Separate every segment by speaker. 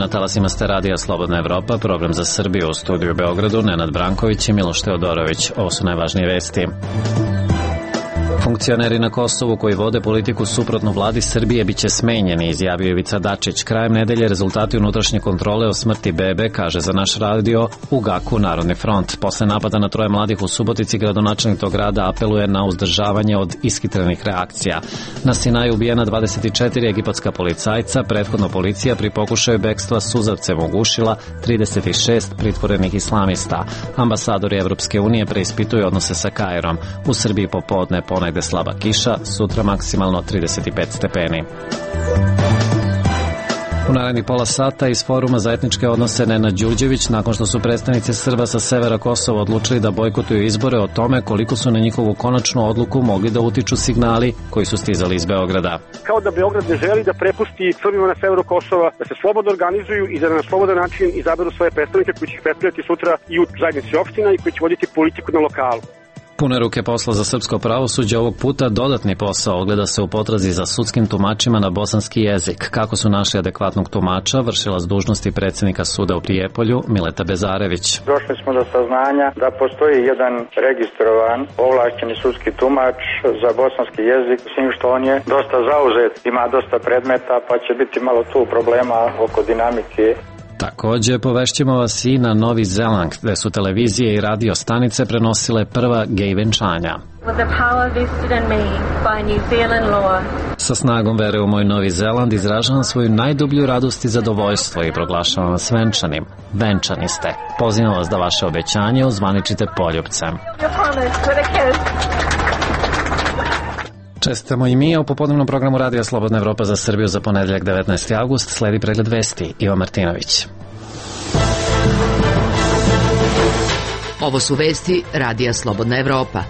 Speaker 1: Na talasima ste radija Slobodna Evropa, program za Srbiju, u studiju u Beogradu, Nenad Branković i Miloš Teodorović. Ovo su najvažnije vesti. Funkcioneri na Kosovu koji vode politiku suprotno vladi Srbije biće smenjeni, izjavio Ivica Dačić. Krajem nedelje rezultati unutrašnje kontrole o smrti bebe, kaže za naš radio u GAK-u Narodni front. Posle napada na 3 mladih u Subotici, gradonačelnik tog grada apeluje na uzdržavanje od ishitrenih reakcija. Na Sinaju ubijena 24 egipatska policajca, prethodno policija pri pokušaju bekstva suzavcem ugušila 36 pritvorenih islamista. Ambasadori Evropske unije preispituju odnose sa Kairom. U Srbiji popodne ponegde slaba kiša, sutra maksimalno 35 stepeni. U narednih pola sata iz Foruma za etničke odnose Nenad Đurđević, nakon što su predstavnici Srba sa severa Kosova odlučili da bojkotuju izbore, o tome koliko su na njihovu konačnu odluku mogli da utiču signali koji su stizali iz Beograda.
Speaker 2: Kao da Beograd ne želi da prepusti Srbima na severu Kosova, da se slobodno organizuju i da na slobodan način izaberu svoje predstavnike koji će ih predstavljati sutra i u zajednici opština i koji će voditi politiku na lokalu.
Speaker 1: Pune ruke posla za srpsko pravosuđe, ovog puta dodatni posao ogleda se u potrazi za sudskim tumačima na bosanski jezik. Kako su našli adekvatnog tumača, vršilac dužnosti predsjednika suda u Prijepolju, Mileta Bezarević.
Speaker 3: Došli smo do saznanja da postoji jedan registrovan ovlašćeni sudski tumač za bosanski jezik, s tim što on je dosta zauzet, ima dosta predmeta, pa će biti malo tu problema oko dinamike.
Speaker 1: Također povešćemo vas i na Novi Zeland, gde su televizije i radio stanice prenosile prva gej venčanja. Sa snagom vere u moj Novi Zeland izražavam svoju najdublju radost i zadovoljstvo i proglašavam vas venčanim. Venčani ste. Pozivam vas da vaše obećanje ozvaničite poljupcem. Čestitamo i mi, a u popodnevnom programu Radija Slobodna Evropa za Srbiju za ponedeljak 19. avgust sledi pregled vesti. Ivo Martinović.
Speaker 4: Ovo su vesti Radija Slobodna Evropa.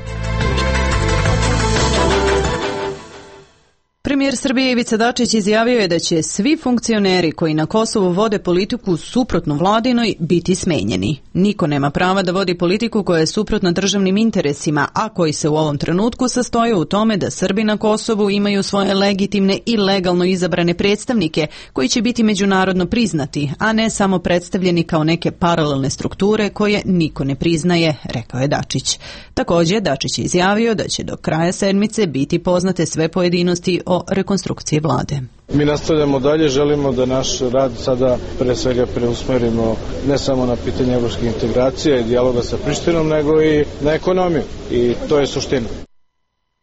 Speaker 5: Premijer Srbije Ivica Dačić izjavio je da će svi funkcioneri koji na Kosovu vode politiku suprotno vladinoj biti smenjeni. Niko nema prava da vodi politiku koja je suprotna državnim interesima, a koji se u ovom trenutku sastoje u tome da Srbi na Kosovu imaju svoje legitimne i legalno izabrane predstavnike koji će biti međunarodno priznati, a ne samo predstavljeni kao neke paralelne strukture koje niko ne priznaje, rekao je Dačić. Također, Dačić je izjavio da će do kraja sedmice biti poznate sve pojedinosti o rekonstrukciji vlade.
Speaker 6: Mi nastavljamo dalje, želimo da naš rad sada pre svega preusmerimo ne samo na pitanje evropskih integracija i dijaloga sa Prištinom, nego i na ekonomiju. I to je suština.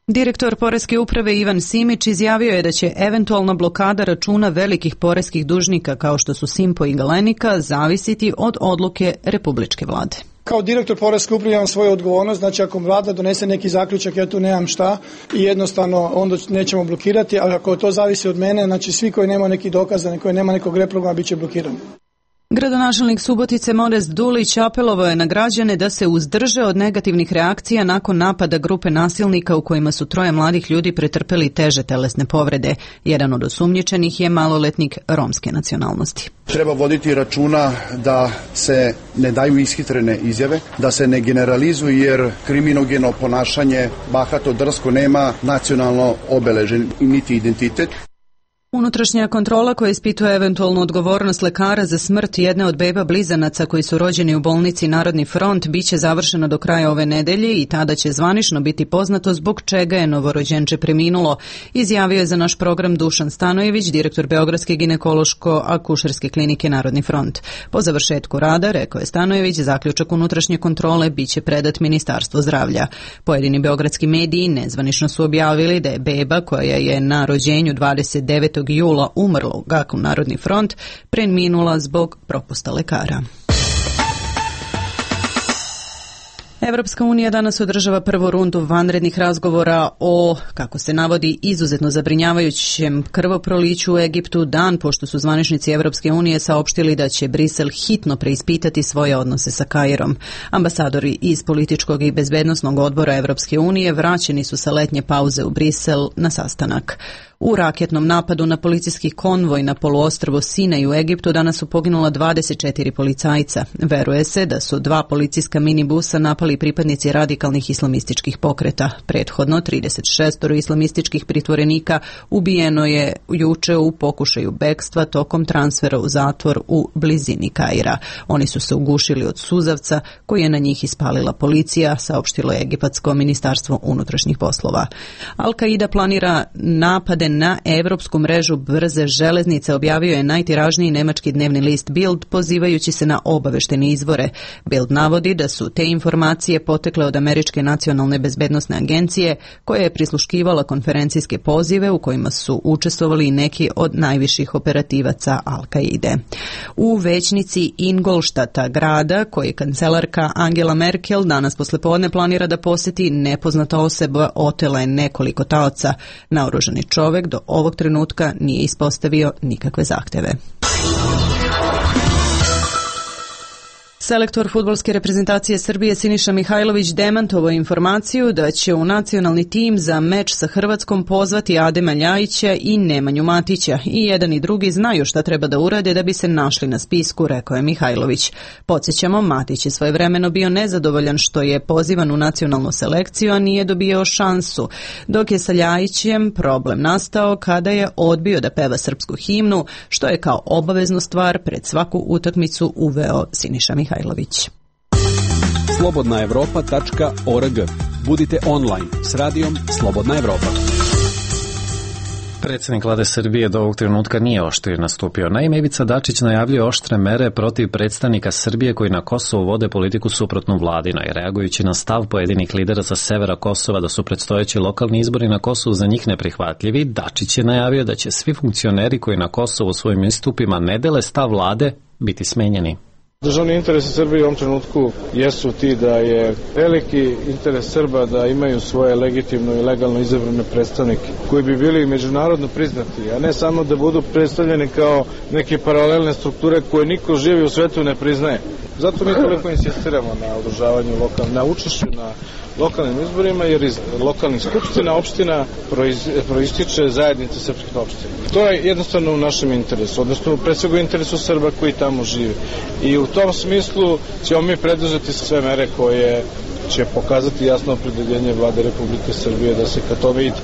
Speaker 5: Direktor Poreske uprave Ivan Simić izjavio je da će eventualna blokada računa velikih poreskih dužnika kao što su Simpo i Galenika zavisiti od odluke republičke vlade.
Speaker 7: Kao direktor Poreske uprave imam svoju odgovornost, znači ako vlada donese neki zaključak, ja tu nemam šta i jednostavno onda nećemo blokirati, ali ako to zavisi od mene, znači svi koji nema neki dokaz, koji nema nekog reprograma, bit će blokirani.
Speaker 5: Gradonačelnik Subotice Modest Dulić apelovao je na građane da se uzdrže od negativnih reakcija nakon napada grupe nasilnika u kojima su 3 mladih ljudi pretrpeli teže telesne povrede. Jedan od osumnjičenih je maloletnik romske nacionalnosti.
Speaker 8: Treba voditi računa da se ne daju ishitrene izjave, da se ne generalizuju jer kriminogeno ponašanje, bahato, drsko nema nacionalno obeležen niti identitet.
Speaker 5: Unutrašnja kontrola koja ispituje eventualnu odgovornost lekara za smrt jedne od beba blizanaca koji su rođeni u bolnici Narodni front biće završena do kraja ove nedelje i tada će zvanično biti poznato zbog čega je novorođenče preminulo, izjavio je za naš program Dušan Stanojević, direktor Beogradske ginekološko-akušerske klinike Narodni front. Po završetku rada, rekao je Stanojević, zaključak unutrašnje kontrole biće predat Ministarstvo zdravlja. Pojedini beogradski mediji nezvanično su objavili da je beba koja je na rođenju 29. jula umrla u GAK-u Narodni front preminula zbog propusta lekara. Evropska unija danas održava prvu rundu vanrednih razgovora o, kako se navodi, izuzetno zabrinjavajućem krvoproliću u Egiptu, dan pošto su zvaničnici Evropske unije saopštili da će Brisel hitno preispitati svoje odnose sa Kairom. Ambasadori iz političkog i bezbednosnog odbora Evropske unije vraćeni su sa letnje pauze u Brisel na sastanak. U raketnom napadu na policijski konvoj na poluostrvo Sinaj u Egiptu danas su poginula 24 policajca. Veruje se da su 2 policijska minibusa napali pripadnici radikalnih islamističkih pokreta. Prethodno 36 islamističkih pritvorenika ubijeno je juče u pokušaju bekstva tokom transfera u zatvor u blizini Kaira. Oni su se ugušili od suzavca koji je na njih ispalila policija, saopštilo je Egipatsko ministarstvo unutrašnjih poslova. Al-Qaida planira napade na evropsku mrežu brze železnice, objavio je najtiražniji nemački dnevni list Bild, pozivajući se na obaveštene izvore. Bild navodi da su te informacije potekle od Američke nacionalne bezbednosne agencije, koja je prisluškivala konferencijske pozive u kojima su učestvovali i neki od najviših operativaca Al-Qaide. U većnici Ingolštata, grada koji kancelarka Angela Merkel danas poslepodne planira da poseti, nepoznata osoba otela je nekoliko taoca. Naoružani čovek do ovog trenutka nije ispostavio nikakve zahteve. Selektor fudbalske reprezentacije Srbije Siniša Mihajlović demantovao informaciju da će u nacionalni tim za meč sa Hrvatskom pozvati Adema Ljajića i Nemanju Matića. I jedan i drugi znaju šta treba da urade da bi se našli na spisku, rekao je Mihajlović. Podsjećamo, Matić je svojevremeno bio nezadovoljan što je pozivan u nacionalnu selekciju, a nije dobio šansu, dok je sa Ljajićem problem nastao kada je odbio da peva srpsku himnu, što je kao obaveznu stvar pred svaku utakmicu uveo Siniša Mihajlović.
Speaker 9: slobodnaevropa.org. Budite online s radijom Slobodna Evropa.
Speaker 1: Predsjednik vlade Srbije do ovog trenutka nije oštro nastupio. Naime, Ivica Dačić najavljuje oštre mere protiv predstavnika Srbije koji na Kosovu vode politiku suprotnu vladinoj. Reagujući na stav pojedinih lidera sa severa Kosova da su predstojeći lokalni izbori na Kosovu za njih neprihvatljivi, Dačić je najavio da će svi funkcioneri koji na Kosovu svojim istupima ne dele stav vlade biti smenjeni.
Speaker 6: Državni interesi Srbije u ovom trenutku jesu ti da je veliki interes Srba da imaju svoje legitimno i legalno izabrane predstavnike koji bi bili međunarodno priznati, a ne samo da budu predstavljeni kao neke paralelne strukture koje niko živi u svetu ne priznaje. Zato mi toliko insistiramo na održavanju na učešću na lokalnim izborima, jer iz lokalnih skupština opština proističe zajednica srpskih opština. To je jednostavno u našem interesu, odnosno pre svega u interesu Srba koji tamo žive. I u tom smislu ćemo mi preduzeti sve mere koje će pokazati jasno opredeljenje vlade Republike Srbije da se ka tome ide.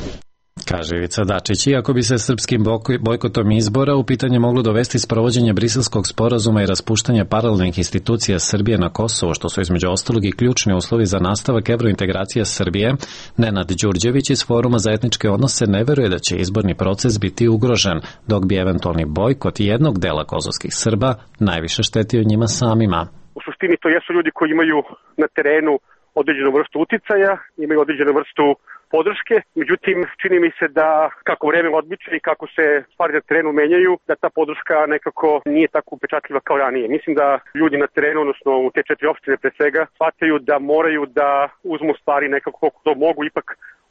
Speaker 1: Kaže Ivica Dačić, iako bi se srpskim bojkotom izbora u pitanje moglo dovesti sprovođenje Briselskog sporazuma i raspuštanje paralelnih institucija Srbije na Kosovo, što su između ostalog i ključni uslovi za nastavak evrointegracije Srbije, Nenad Đurđević iz Foruma za etničke odnose ne veruje da će izborni proces biti ugrožen, dok bi eventualni bojkot jednog dela kosovskih Srba najviše štetio njima samima.
Speaker 2: U suštini to jesu ljudi koji imaju na terenu određenu vrstu uticaja, imaju određenu vrstu podrške, međutim čini mi se da kako vreme odmiče i kako se stvari na terenu menjaju, da ta podrška nekako nije tako upečatljiva kao ranije. Mislim da ljudi na terenu, odnosno u te 4 opštine pre svega, shvataju da moraju da uzmu stvari nekako kako to mogu ipak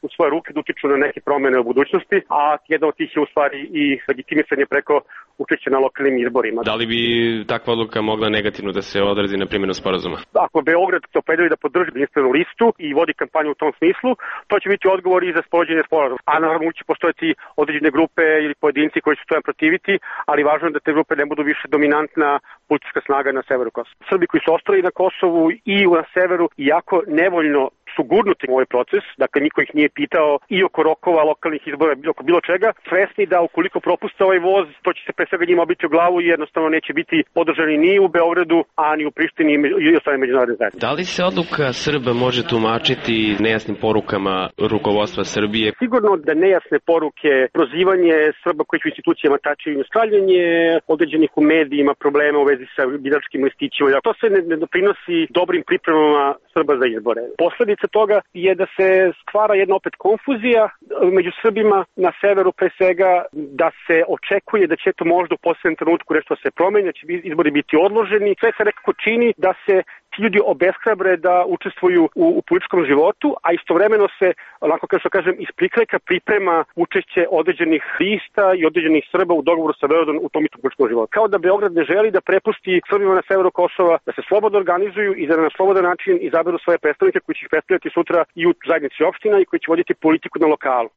Speaker 2: u svoje ruke da utiču na neke promene u budućnosti, a jedna od tih je u stvari i legitimisanje preko učešća na lokalnim izborima.
Speaker 10: Da li bi takva odluka mogla negativno da se odrazi na primjenu sporazuma?
Speaker 2: Ako Beograd se opredeli da podrži jedinstvenu listu i vodi kampanju u tom smislu, to će biti odgovor i za sprovođenje sporazuma. A naravno će postojati određene grupe ili pojedinci koji će to protiviti, ali važno je da te grupe ne budu više dominantna politička snaga na severu Kosova. Srbi koji su ostali na Kosovu i na severu, iako nevoljno su gurnuti u ovaj proces, dakle niko ih nije pitao i oko rokova lokalnih izbora, oko bilo čega, svesni da ukoliko propuste ovaj voz, to će se pre svega njima obiti u glavu i jednostavno neće biti podržani ni u Beogradu, a ni u Prištini i ostale međunarodne zajednice.
Speaker 10: Da li se odluka Srba može tumačiti nejasnim porukama rukovodstva Srbije?
Speaker 2: Sigurno da nejasne poruke, prozivanje Srba koji u institucijama tačaju stavljanje određenih u medijima problema u vezi sa biračkim listićima, to se ne doprinosi dobrim pripremama Srba za izbore. Posledica toga je da se stvara jedna opet konfuzija među Srbima na severu pre svega, da se očekuje da će to možda u posljednjem trenutku nešto se promeni, da će izbori biti odloženi. Sve se nekako čini da se ti ljudi obeshrabre da učestvuju u političkom životu, a istovremeno se, onako kao što kažem, iz prikrajka priprema učešće određenih lista i određenih Srba u dogovoru sa Beogradom u tom istom političkom životu. Kao da Beograd ne želi da prepusti Srbima na severu Kosova da se slobodno organizuju i da na slobodan način izaberu svoje predstavnike koji će ih predstavljati sutra i u zajednici opština i koji će voditi politiku na lokalu.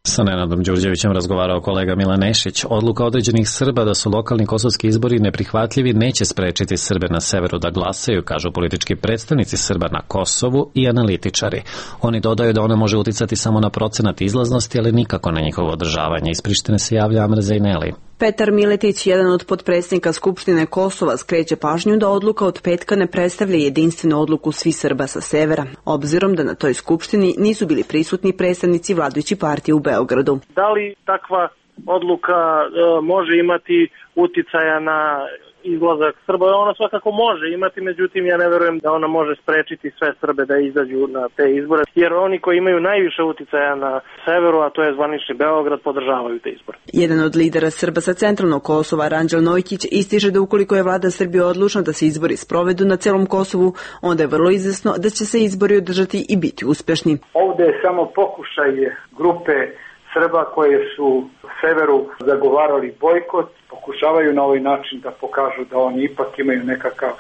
Speaker 1: Sa Nenadom Đurđevićem razgovarao kolega Milan Nešić. Odluka određenih Srba da su lokalni kosovski izbori neprihvatljivi neće sprečiti Srbe na severu da glasaju, kažu politički predstavnici Srba na Kosovu i analitičari. Oni dodaju da ona može uticati samo na procenat izlaznosti, ali nikako na njihovo održavanje. Iz Prištine se javlja Amra Zejneli.
Speaker 11: Petar Miletić, jedan od potpredsjednika Skupštine Kosova, skreće pažnju da odluka od petka ne predstavlja jedinstvenu odluku svih Srba sa severa, obzirom da na toj skupštini nisu bili prisutni predstavnici vladajuće partije u Beogradu.
Speaker 12: Da li takva odluka može imati uticaja na izlazak Srba? Ona svakako može imati, međutim ja ne verujem da ona može sprečiti sve Srbe da izađu na te izbore, jer oni koji imaju najviše uticaja na severu, a to je zvanični Beograd, podržavaju te izbore.
Speaker 11: Jedan od lidera Srba sa centralnog Kosova, Ranđel Nojkić, ističe da ukoliko je vlada Srbije odlučna da se izbori sprovedu na celom Kosovu, onda je vrlo izvesno da će se izbori održati i biti uspešni.
Speaker 13: Ovde je samo pokušaj grupe Srba koje su severu zagovarali bojkot, pokušavaju na ovaj način da pokažu da oni ipak imaju nekakav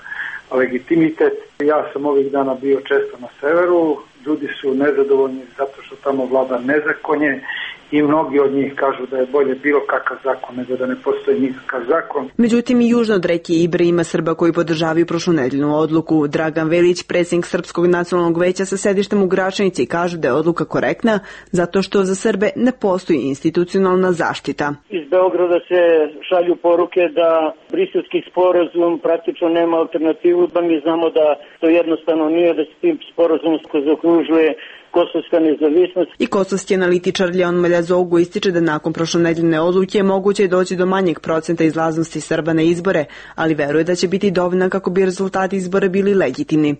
Speaker 13: legitimitet. Ja sam ovih dana bio često na severu, ljudi su nezadovoljni zato što tamo vlada nezakonje i mnogi od njih kažu da je bolje bilo kakav zakon nego da ne postoji nikakav zakon.
Speaker 11: Međutim, i južno od reke Ibre ima Srba koji podržavaju prošlonedeljnu odluku. Dragan Velić, predsjednik Srpskog nacionalnog veća sa sedištem u Gračanici, kaže da je odluka korektna zato što za Srbe ne postoji institucionalna zaštita.
Speaker 12: Iz Beograda se šalju poruke da Briselski sporazum praktično nema alternativu, da mi znamo da to jednostavno nije, da se tim sporazumom zaokružuje kosovska nezavisnost.
Speaker 11: I kosovski analitičar Leon Maljazogu ističe da nakon prošlonedeljne odluke je moguće doći do manjeg procenta izlaznosti Srba na izbore, ali veruje da će biti dovoljna kako bi rezultati izbora bili legitimni.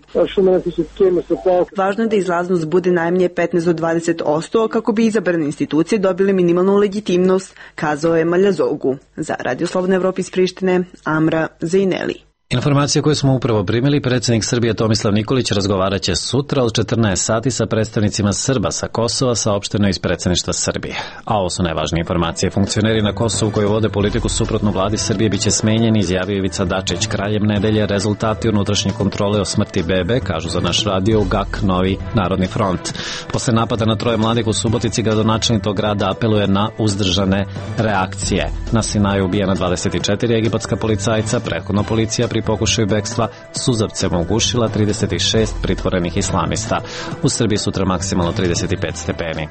Speaker 11: Važno je da izlaznost bude najmanje 15 do 20% kako bi izabrane institucije dobile minimalnu legitimnost, kazao je Maljazogu. Za Radio Slobodna Evropa iz Prištine, Amra Zejneli.
Speaker 1: Informacije koje smo upravo primili, predsjednik Srbije Tomislav Nikolić razgovarat će sutra od 14 sati sa predstavnicima Srba sa Kosova, saopšteno iz predsjedništva Srbije. A ovo su najvažnije informacije. Funkcioneri na Kosovu koji vode politiku suprotnu vladi Srbije biće smenjeni, izjavio Ivica Dačić. Krajem nedelje rezultati unutrašnje kontrole o smrti bebe, kažu za naš radio u GAK Novi Narodni front. Posle napada na 3 mladih u Subotici, gradonačelnik tog grada apeluje na uzdržane reakcije. Na Sinaju ubijena 24 egipatska policajca, prethodno policija pri pokušaju bekstva suzavcem ugušila 36 pritvorenih islamista. U Srbiji sutra maksimalno 35 stepeni.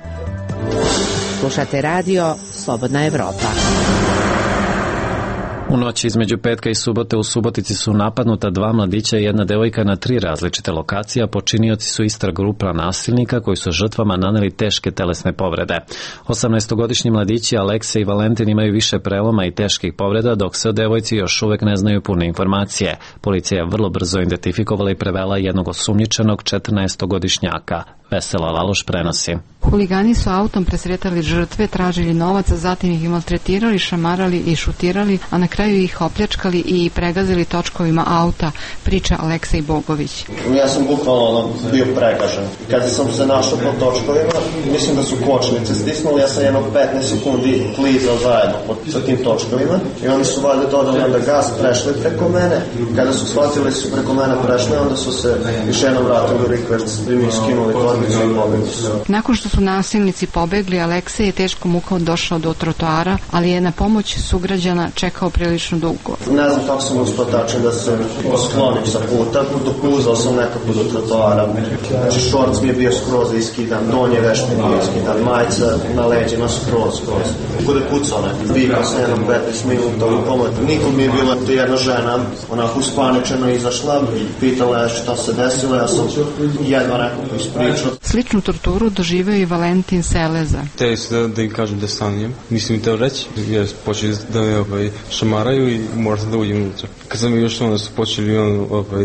Speaker 4: Slušate radio Slobodna Evropa.
Speaker 1: U noći između petka i subote u Subotici su napadnuta 2 mladića i 1 devojka na 3 različite lokacije, a počinioci su ista grupa nasilnika koji su žrtvama naneli teške telesne povrede. 18-godišnji mladići Aleksa i Valentin imaju više preloma i teških povreda, dok se o devojci još uvek ne znaju pune informacije. Policija je vrlo brzo identifikovala i prevela jednog osumnjičenog 14-godišnjaka. Vesela Laloš prenosi.
Speaker 14: Huligani su autom presretali žrtve, tražili novac, a zatim ih maltretirali, šamarali i šutirali, a na kraju ih opljačkali i pregazili točkovima auta, priča Aleksej Bogović.
Speaker 15: Ja sam bukvalno bio pregažen. Kada sam se našao po točkovima, mislim da su kočnice stisnuli, ja sam jedno 15 sekundi klizao zajedno sa tim točkovima i oni su valjda dodali onda gas, prešli preko mene. Kada su shvatili su preko mene prešli, onda su se još jednom vratili u rikverc i mi skinuli torbicu i pobegli su.
Speaker 14: Nakon što su nasilnici pobegli, Aleksej je teško mukom došao do trotoara, ali je na pomoć sugrađana čekao prilično dugo.
Speaker 15: Ne znam kako sam uspio tačno da se sklonim sa puta, dopuzao sam nekako do trotoara. Znači šorc mi je bio skroz iskidan, donje veš mi je bio iskidan, majica na leđima skroz. Kod je pucao nekako. Vikao sam jednom 15 minuta u pomoć. Nikom mi je bila jedna žena, onako uspaničeno izašla, pitala je šta se desilo, ja sam jedva nekako ispričao.
Speaker 14: Sličnu torturu doživio i Valentin Seleza.
Speaker 16: Teo su da im kažem da stanujem. Nisam im teo reći, jer počeli da me šamaraju i moram da uđem unutra. Kad sam još onda su počeli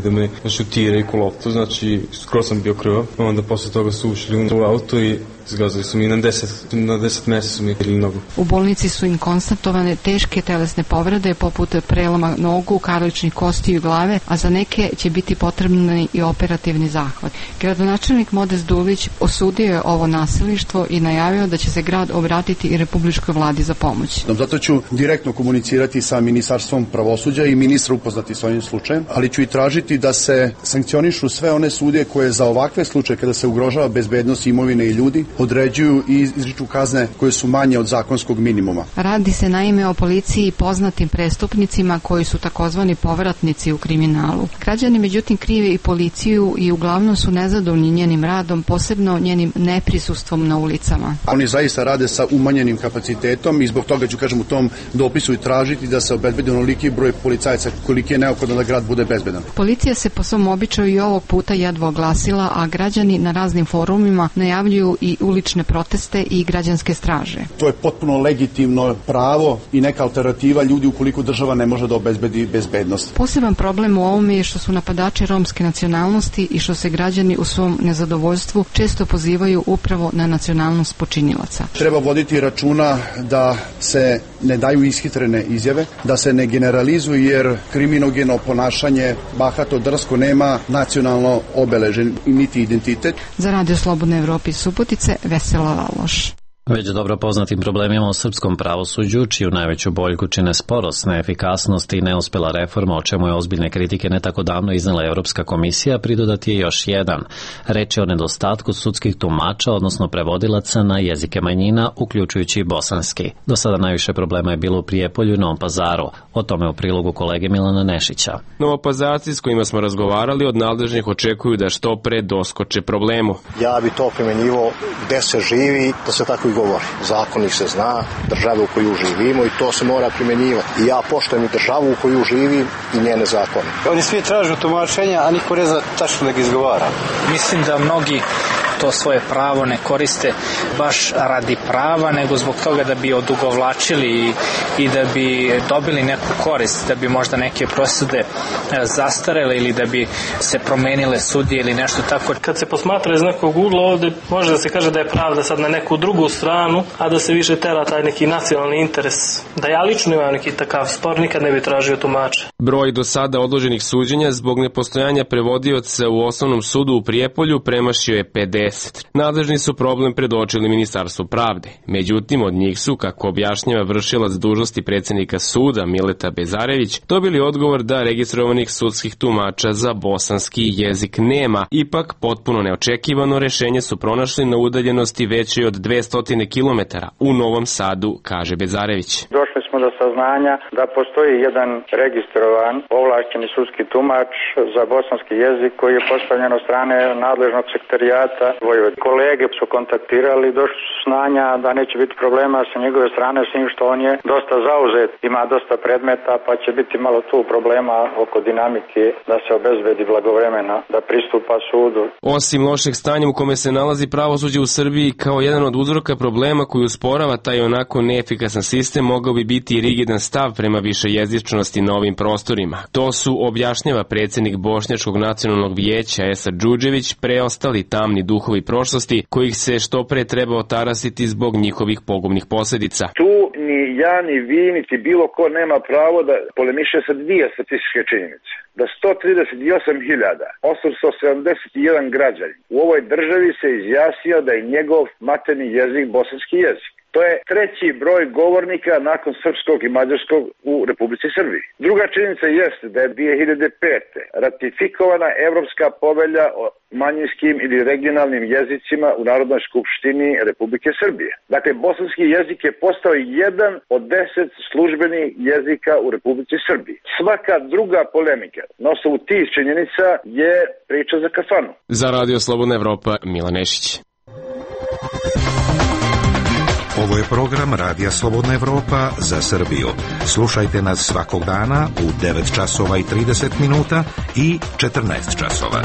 Speaker 16: da me šutiraju ko loptu, znači skoro sam bio krvav. Onda posle toga su ušli u auto i zgazili su mi na 10 mesta su mi ili nogu.
Speaker 14: U bolnici su im konstatovane teške telesne povrede poput preloma nogu, karličnih kostiju i glave, a za neke će biti potrebni i operativni zahvat. Gradonačelnik Modest Dulić osudio je ovo nasilništvo i najavio da će se grad obratiti i Republičkoj vladi za pomoć.
Speaker 8: Zato ću direktno komunicirati sa Ministarstvom pravosuđa i ministra upoznati s ovim slučajem, ali ću i tražiti da se sankcionišu sve one sudije koje za ovakve slučaje kada se ugrožava bezbednost imovine i ljudi određuju i izriču kazne koje su manje od zakonskog minimuma.
Speaker 14: Radi se naime o policiji i poznatim prestupnicima koji su takozvani povratnici u kriminalu. Građani međutim krive i policiju i uglavnom su nezadovoljni njenim radom, posebno njenim neprisustvom na ulicama.
Speaker 8: Oni zaista rade sa umanjenim kapacitetom i zbog toga ću kažem u tom dopisu i tražiti da se obezbedi onoliki broj policajaca koliki je neophodno da grad bude bezbedan.
Speaker 14: Policija se po svom običaju i ovog puta jedva oglasila, a građani na raznim forumima najavljuju i ulične proteste i građanske straže.
Speaker 8: To je potpuno legitimno pravo i neka alternativa ljudi ukoliko država ne može da obezbedi bezbednost.
Speaker 14: Poseban problem u ovome je što su napadači romske nacionalnosti i što se građani u svom nezadovoljstvu često pozivaju upravo na nacionalnost počinilaca.
Speaker 8: Treba voditi računa da se ne daju ishitrene izjave, da se ne generalizuju jer kriminogeno ponašanje, bahato, drsko nema nacionalno obeležen niti identitet.
Speaker 14: Za Radio Slobodne Evrope iz Subotice, Vesela Laloš.
Speaker 1: Već dobro poznatim problemima u srpskom pravosuđu, čiju najveću boljku čine sporost, neefikasnost i neuspela reforma, o čemu je ozbiljne kritike ne tako davno iznela Evropska komisija, pridodati je još jedan. Reč je o nedostatku sudskih tumača, odnosno prevodilaca na jezike manjina, uključujući i bosanski. Do sada najviše problema je bilo u Prijepolju i Novom Pazaru. O tome u prilogu kolege Milana Nešića.
Speaker 10: Novopazarci s kojima smo razgovarali od nadležnih očekuju da što pre doskoče problemu.
Speaker 17: Ja bi to primenjivo gde se živi, da se tako govori. Zakon se zna, država u koju živimo i to se mora primjenjivati. I ja poštujem i državu u koju živim i njene zakone.
Speaker 18: Oni svi tražu tumačenja, a niko ne zna tačno da ga izgovara.
Speaker 19: Mislim da mnogi to svoje pravo ne koriste baš radi prava, nego zbog toga da bi odugovlačili i da bi dobili neku korist, da bi možda neke presude zastarele ili da bi se promenile sudije ili nešto tako.
Speaker 12: Kad se posmatra iz nekog ugla, ovde može da se kaže da je pravda sad na neku drugu stranu, a da se više tera taj neki nacionalni interes. Da ja lično imam neki takav spor, nikad ne bi tražio tumača.
Speaker 10: Broj do sada odloženih suđenja zbog nepostojanja prevodioca u Osnovnom sudu u Prijepolju premašio je 50. Nadležni su problem predočili Ministarstvu pravde. Međutim, od njih su, kako objašnjava vršilac dužnosti predsjednika suda Mileta Bezarević, dobili odgovor da registrovanih sudskih tumača za bosanski jezik nema. Ipak, potpuno neočekivano rešenje su pronašli na udaljenosti većoj od 200 km u Novom Sadu, kaže Bezarević.
Speaker 3: Došli smo do saznanja da postoji jedan registrovan ovlašćeni sudski tumač za bosanski jezik koji je postavljen od strane nadležnog sekretarijata Vojvodine. Kolege su kontaktirali, došli su saznanja da neće biti problema sa njegove strane, s njim što on je dosta zauzet, ima dosta predmeta, pa će biti malo tu problema oko dinamike da se obezbedi blagovremena da pristupa sudu.
Speaker 10: Osim lošeg stanja u kome se nalazi pravosuđe u Srbiji, kao jedan od uzroka problema koji usporava taj onako neefikasan sistem, mogao bi biti i rigidan stav prema višejezičnosti na ovim prostorima. To su, objašnjava predsjednik Bošnjačkog nacionalnog vijeća Esad Džudžević, preostali tamni duhovi prošlosti kojih se što pre treba otarasiti zbog njihovih pogubnih posljedica.
Speaker 20: Tu ni ja, ni vi, niti bilo ko nema pravo da polemiše sa dvije statističke činjenice. Da 138.871 građanin u ovoj državi se izjasnio da je njegov materni jezik bosanski jezik. To je treći broj govornika nakon srpskog i mađarskog u Republici Srbiji. Druga činjenica jeste da je 2005. ratifikovana Evropska povelja o manjinskim ili regionalnim jezicima u Narodnoj skupštini Republike Srbije. Dakle, bosanski jezik je postao jedan od 10 službenih jezika u Republici Srbiji. Svaka druga polemika na osnovu tih činjenica je priča za kafanu.
Speaker 10: Za Radio Slobodna Evropa, Milan Nešić.
Speaker 21: Ovo je program Radija Slobodna Evropa za Srbiju. Slušajte nas svakog dana u 9 časova i 30 minuta i 14 časova.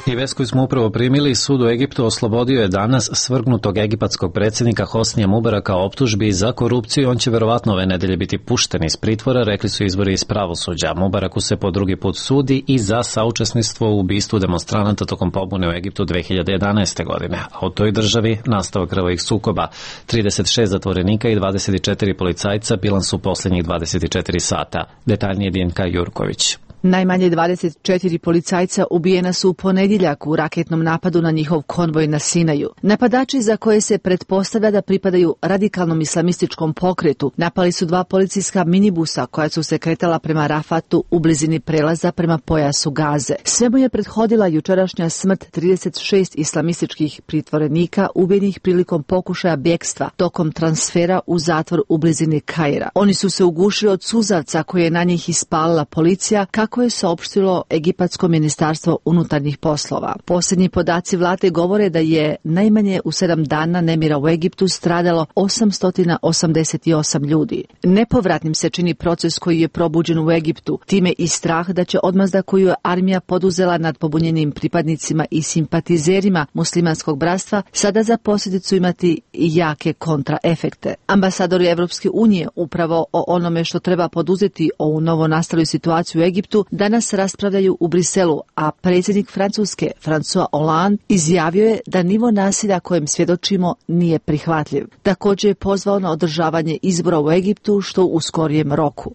Speaker 1: I vest koju smo upravo primili, sud u Egiptu oslobodio je danas svrgnutog egipatskog predsjednika Hosnija Mubaraka optužbi za korupciju. On će verovatno ove nedelje biti pušten iz pritvora, rekli su izvori iz pravosuđa. Mubaraku se po drugi put sudi i za saučesništvo u ubistvu demonstranata tokom pobune u Egiptu 2011. godine. A u toj državi nastavak krvavih sukoba. 36 zatvorenika i 24 policajca bilans su posljednjih 24 sata. Detaljnije Dinka Jurković.
Speaker 7: Najmanje 24 policajca ubijena su u ponedjeljak u raketnom napadu na njihov konvoj na Sinaju. Napadači, za koje se pretpostavlja da pripadaju radikalnom islamističkom pokretu, napali su 2 policijska minibusa koja su se kretala prema Rafatu u blizini prelaza prema pojasu Gaze. Svemu je prethodila jučerašnja smrt 36 islamističkih pritvorenika ubijenih prilikom pokušaja bjegstva tokom transfera u zatvor u blizini Kaira. Oni su se ugušili od suzavca koje je na njih ispalila policija, kako je saopštilo Egipatsko ministarstvo unutarnjih poslova. Posljednji podaci vlade govore da je najmanje u 7 dana nemira u Egiptu stradalo 888 ljudi. Nepovratnim se čini proces koji je probuđen u Egiptu, time i strah da će odmazda koju je armija poduzela nad pobunjenim pripadnicima i simpatizerima muslimanskog bratstva sada za posljedicu imati jake kontraefekte. Ambasadori Evropske unije upravo o onome što treba poduzeti ovu novonastalu situaciju u Egiptu danas raspravljaju u Briselu, a predsjednik Francuske François Hollande izjavio je da nivo nasilja kojem svjedočimo nije prihvatljiv. Također je pozvao na održavanje izbora u Egiptu što u skorijem roku.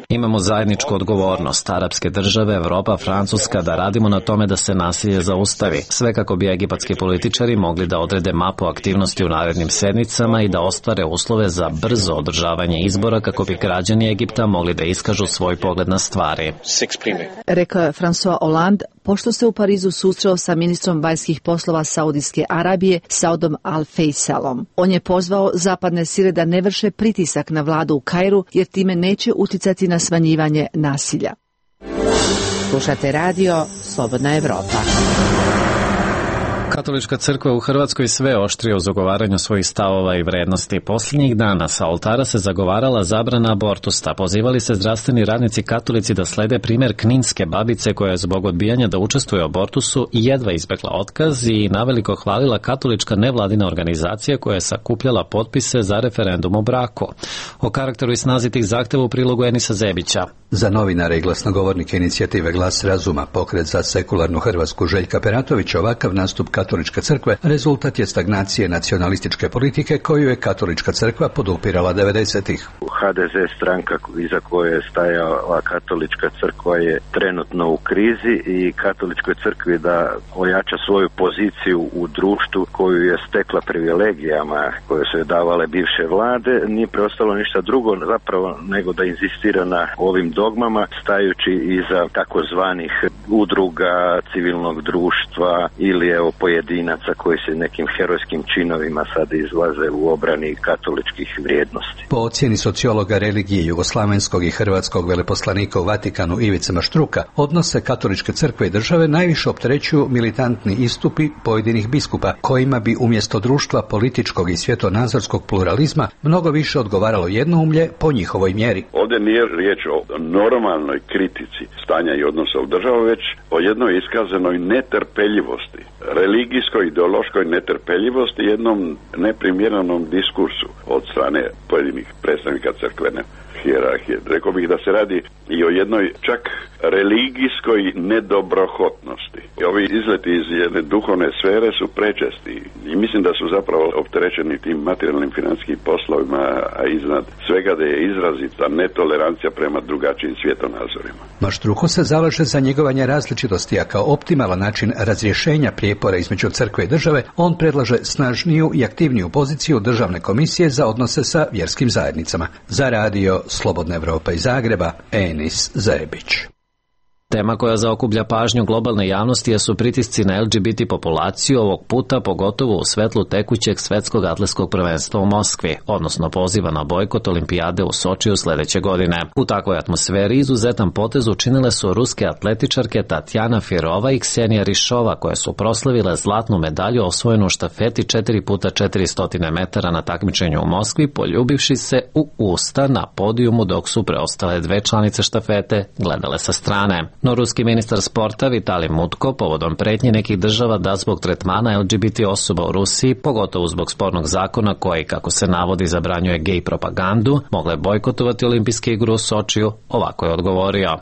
Speaker 1: Imamo zajedničku odgovornost, arapske države, Evropa, Francuska, da radimo na tome da se nasilje zaustavi. Sve kako bi egipatski političari mogli da odrede mapu aktivnosti u narednim sedmicama i da ostvare uslove za brzo održavanje izbora kako bi građani Egipta mogli da iskažu svoj pogled na stvari.
Speaker 7: Rekao je François Hollande pošto se u Parizu susreo sa ministrom vanjskih poslova Saudijske Arabije Saudom Al-Faisalom. On je pozvao zapadne sile da ne vrše pritisak na vladu u Kairu jer time neće uticati na smanjivanje nasilja.
Speaker 4: Slušate radio Slobodna Evropa.
Speaker 1: Katolička crkva u Hrvatskoj sve oštrije u zagovaranju svojih stavova i vrednosti. Posljednjih dana sa oltara se zagovarala zabrana abortusa. Pozivali se zdravstveni radnici katolici da slede primjer kninske babice koja je zbog odbijanja da učestvuje u abortusu i jedva izbjegla otkaz i naveliko hvalila katolička nevladina organizacija koja je sakupljala potpise za referendum o braku. O karakteru i snazi tih zahteva u prilogu Enisa Zebića.
Speaker 22: Za novinare i glasnogovornike inicijative Glas razuma, pokret za sekularnu Hrvatsku Željka Peratovića, ovakav nastup Katoličke crkve rezultat je stagnacije nacionalističke politike koju je Katolička crkva podupirala 90-ih.
Speaker 23: HDZ stranka iza koje je stajala Katolička crkva je trenutno u krizi i Katoličkoj crkvi da ojača svoju poziciju u društvu koju je stekla privilegijama koje su je davale bivše vlade, nije preostalo ništa drugo zapravo nego da inzistira na ovim dogmama stajući iza takozvanih udruga civilnog društva ili evo pojedinaca koji se nekim herojskim činovima sad izlaze u obrani katoličkih vrijednosti.
Speaker 22: Po ocjeni sociologa religije jugoslavenskog i hrvatskog veleposlanika u Vatikanu Ivice Maštruka, odnose Katoličke crkve i države najviše opterećuju militantni istupi pojedinih biskupa, kojima bi umjesto društva političkog i svjetonazorskog pluralizma mnogo više odgovaralo jednoumlje po njihovoj mjeri.
Speaker 24: Ovdje nije riječ o normalnoj kritici stanja i odnosa u državu, već o jednoj iskazanoj netrpeljivosti, religijskoj, ideološkoj netrpeljivosti, jednom neprimjerenom diskursu od strane pojedinih predstavnika crkvene hijerarhije. Rekao bih da se radi i o jednoj čak religijskoj nedobrohotnosti. I ovi izleti iz jedne duhovne sfere su prečesti i mislim da su zapravo opterećeni tim materijalnim financijskim poslovima, a iznad svega da je izrazita netolerancija prema drugačijim svjetonazorima.
Speaker 22: Maštruko se zalaže za njegovanje različitosti, a kao optimalan način razrješenja prijepora između crkve i države, on predlaže snažniju i aktivniju poziciju Državne komisije za odnose sa vjerskim zajednicama. Za radio Slobodna Evropa iz Zagreba, Enis Zebić.
Speaker 1: Tema koja zaokuplja pažnju globalne javnosti su pritisci na LGBT populaciju, ovog puta pogotovo u svetlu tekućeg svetskog atletskog prvenstva u Moskvi, odnosno poziva na bojkot olimpijade u Sočiju sledeće godine. U takvoj atmosferi izuzetan potez učinile su ruske atletičarke Tatjana Firova i Ksenija Rišova, koje su proslavile zlatnu medalju osvojenu u štafeti 4x400 metara na takmičenju u Moskvi, poljubivši se u usta na podijumu dok su preostale dve članice štafete gledale sa strane. No ruski ministar sporta Vitalij Mutko povodom pretnje nekih država da zbog tretmana LGBT osoba u Rusiji, pogotovo zbog spornog zakona koji, kako se navodi, zabranjuje gej propagandu, mogle bojkotovati olimpijske igre u Sočiju, ovako je odgovorio.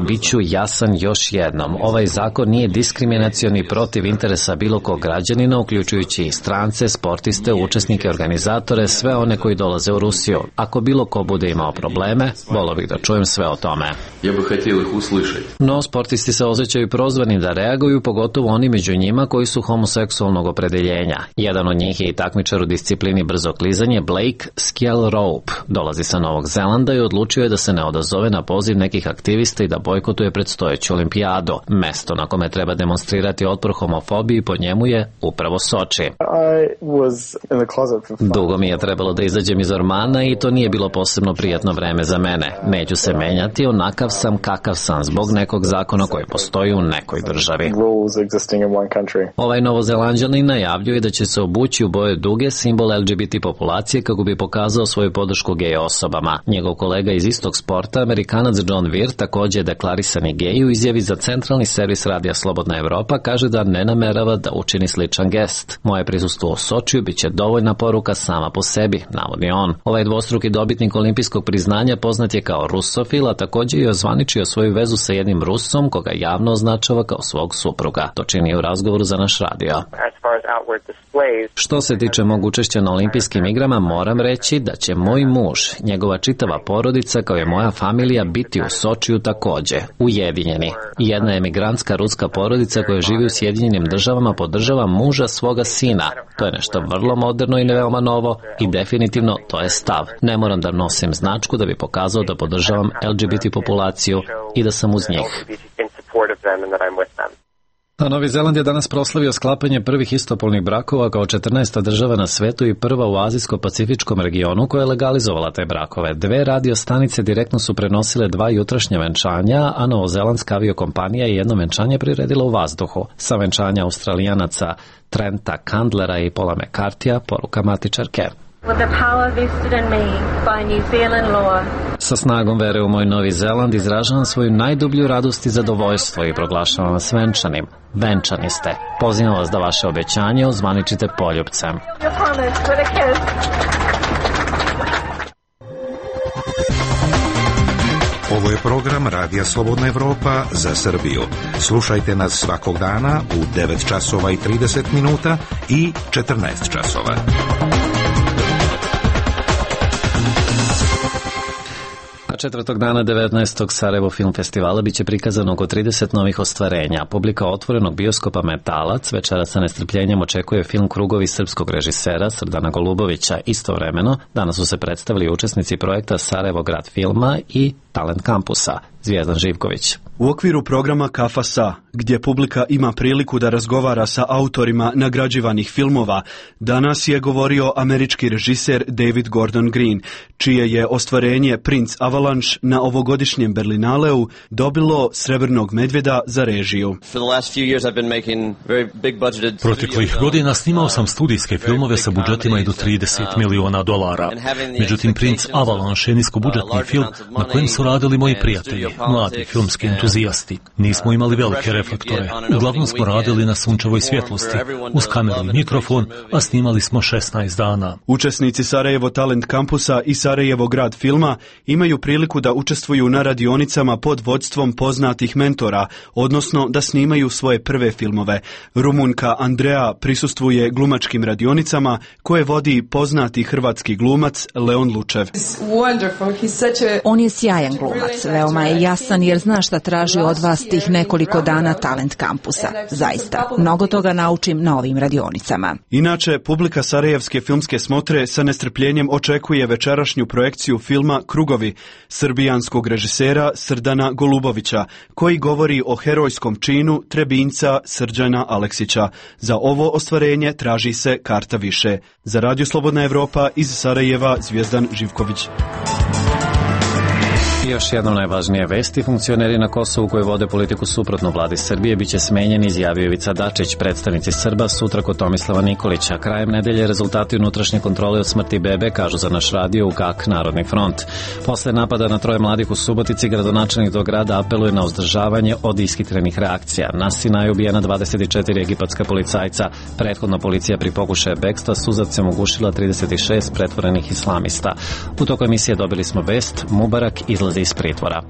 Speaker 1: Biću jasan još jednom, ovaj zakon nije diskriminacioni protiv interesa bilo kog građanina, uključujući i strance, sportiste, učesnike, organizatore, sve one koji dolaze u Rusiju. Ako bilo ko bude imao probleme, volio bih da čujem sve o tome. No, sportisti se osjećaju prozvani da reaguju, pogotovo oni među njima koji su homoseksualnog opredeljenja. Jedan od njih je i takmičar u disciplini brzo klizanje Blake Skjelrope. Dolazi sa Novog Zelanda i odlučio je da se ne odazove na poziv nekih aktivista i da bojkotuje predstojeću olimpijadu. Mesto na kome treba demonstrirati otpor homofobiji po njemu je upravo Soči. Dugo mi je trebalo da izađem iz ormana i to nije bilo posebno prijatno vreme za mene. Neću se menjati, onakav sam kakav sam zbog nekog zakona koji postoji u nekoj državi. Ovaj Novozelanđanin najavljuje da će se obući u boje duge, simbol LGBT populacije, kako bi pokazao svoju podršku gej osobama. Njegov kolega iz istog sporta, Amerikanac John Weir, također deklarisani gej, u izjavi za centralni servis Radija Slobodna Evropa kaže da ne namerava da učini sličan gest. Moje prisustvo u Sočiju biće dovoljna poruka sama po sebi, navodi on. Ovaj dvostruki dobitnik olimpijskog priznanja poznat je kao rusofil, a također je ozvaničio svoju vezu sa jednim Rusom koga javno označava kao svog supruga. To čini u razgovoru za naš radio. Što se tiče mog učešća na olimpijskim igrama, moram reći da će moj muž, njegova čitava porodica kao i moja familija biti u Sočiju također, ujedinjeni. Jedna emigrantska ruska porodica koja živi u Sjedinjenim državama podržava muža svoga sina. To je nešto vrlo moderno i veoma novo i definitivno to je stav. Ne moram da nosim značku da bi pokazao da podržavam LGBT populaciju i da sam uz njih. A Novi Zeland je danas proslavio sklapanje prvih istopolnih brakova kao 14. država na svetu i prva u azijsko-pacifičkom regionu koja je legalizovala te brakove. 2 radio stanice direktno su prenosile 2 jutrašnja venčanja, a novozelandska aviokompanija je jedno venčanje priredila u vazduhu. Sa venčanja Australijanaca Trenta Candlera i Paula McCartija, poruka matičarke. Sa snagom vere u moj Novi Zeland izražavam svoju najdublju radost i zadovoljstvo i proglašavam vas venčanim. Venčani ste. Pozivam vas da vaše obećanje ozvaničite poljupcem.
Speaker 21: Ovo je program Radija Slobodna Evropa za Srbiju. Slušajte nas svakog dana u 9 časova i 30 minuta i 14 časova.
Speaker 1: Četvrtog dana 19. Sarajevo Film Festivala biće prikazano oko 30 novih ostvarenja. Publika otvorenog bioskopa Metalac večera sa nestrpljenjem očekuje film Krugovi srpskog režisera Srdana Golubovića. Istovremeno, danas su se predstavili učesnici projekta Sarajevo grad filma i Talent kampusa. Zvijezdan Živković.
Speaker 2: U okviru programa Kafa Sa, gdje publika ima priliku da razgovara sa autorima nagrađivanih filmova, danas je govorio američki režiser David Gordon Green, čije je ostvarenje Prince Avalanche na ovogodišnjem Berlinaleu dobilo Srebrnog medvjeda za režiju.
Speaker 5: Proteklih godina snimao sam studijske filmove sa budžetima i do $30 miliona. Međutim, Prince Avalanche je niskobudžetni film na kojem su radili moji prijatelji, mladi filmski entuzijasti. Nismo imali velike reflektore. Uglavnom smo radili na sunčevoj svjetlosti, uz kameru i mikrofon, a snimali smo 16 dana.
Speaker 2: Učesnici Sarajevo Talent kampusa i Sarajevo grad filma imaju priliku da učestvuju na radionicama pod vodstvom poznatih mentora, odnosno da snimaju svoje prve filmove. Rumunka Andrea prisustvuje glumačkim radionicama koje vodi poznati hrvatski glumac Leon Lučev.
Speaker 6: On je sjajan glumac, veoma je jasan jer zna šta traži od vas tih nekoliko dana Talent kampusa. Zaista, mnogo toga naučim na ovim radionicama.
Speaker 2: Inače, publika Sarajevske filmske smotre sa nestrpljenjem očekuje večerašnju projekciju filma Krugovi srbijanskog režisera Srdana Golubovića, koji govori o herojskom činu Trebinjca Srđana Aleksića. Za ovo ostvarenje traži se karta više. Za Radio Slobodna Evropa iz Sarajeva Zvijezdan Živković.
Speaker 1: I još jednom najvažnije vesti. Funkcioneri na Kosovu koji vode politiku suprotnu vladi Srbije biće smenjeni, izjavio Ivica Dačić. Predstavnici Srba sutra kod Tomislava Nikolića. Krajem nedelje rezultati unutrašnje kontrole o smrti bebe, kažu za naš radio UGAK Narodni front. Posle napada na 3 mladih u Subotici, gradonačelnik tog grada apeluje na uzdržavanje od ishitrenih reakcija. Na Sinaju ubijena 24 egipatska policajca. Prethodno policija pri pokušaju bekstva suzavcem ugušila 36 pretvorenih islamista. U toku emisije dobili smo vest, Mubarak izlazi iz pritvora.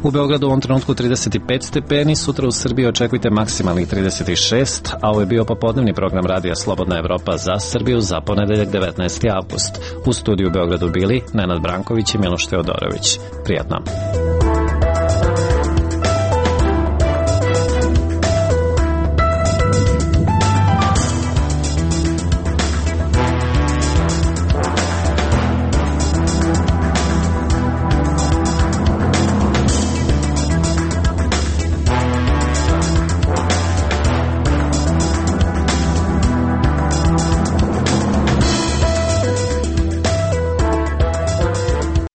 Speaker 1: U Beogradu u ovom trenutku 35 stepeni, sutra u Srbiji očekujte maksimalnih 36, a ovo je bio popodnevni program Radija Slobodna Evropa za Srbiju za ponedeljak 19. avgust. U studiju u Beogradu bili Nenad Branković i Miloš Teodorović. Prijatno.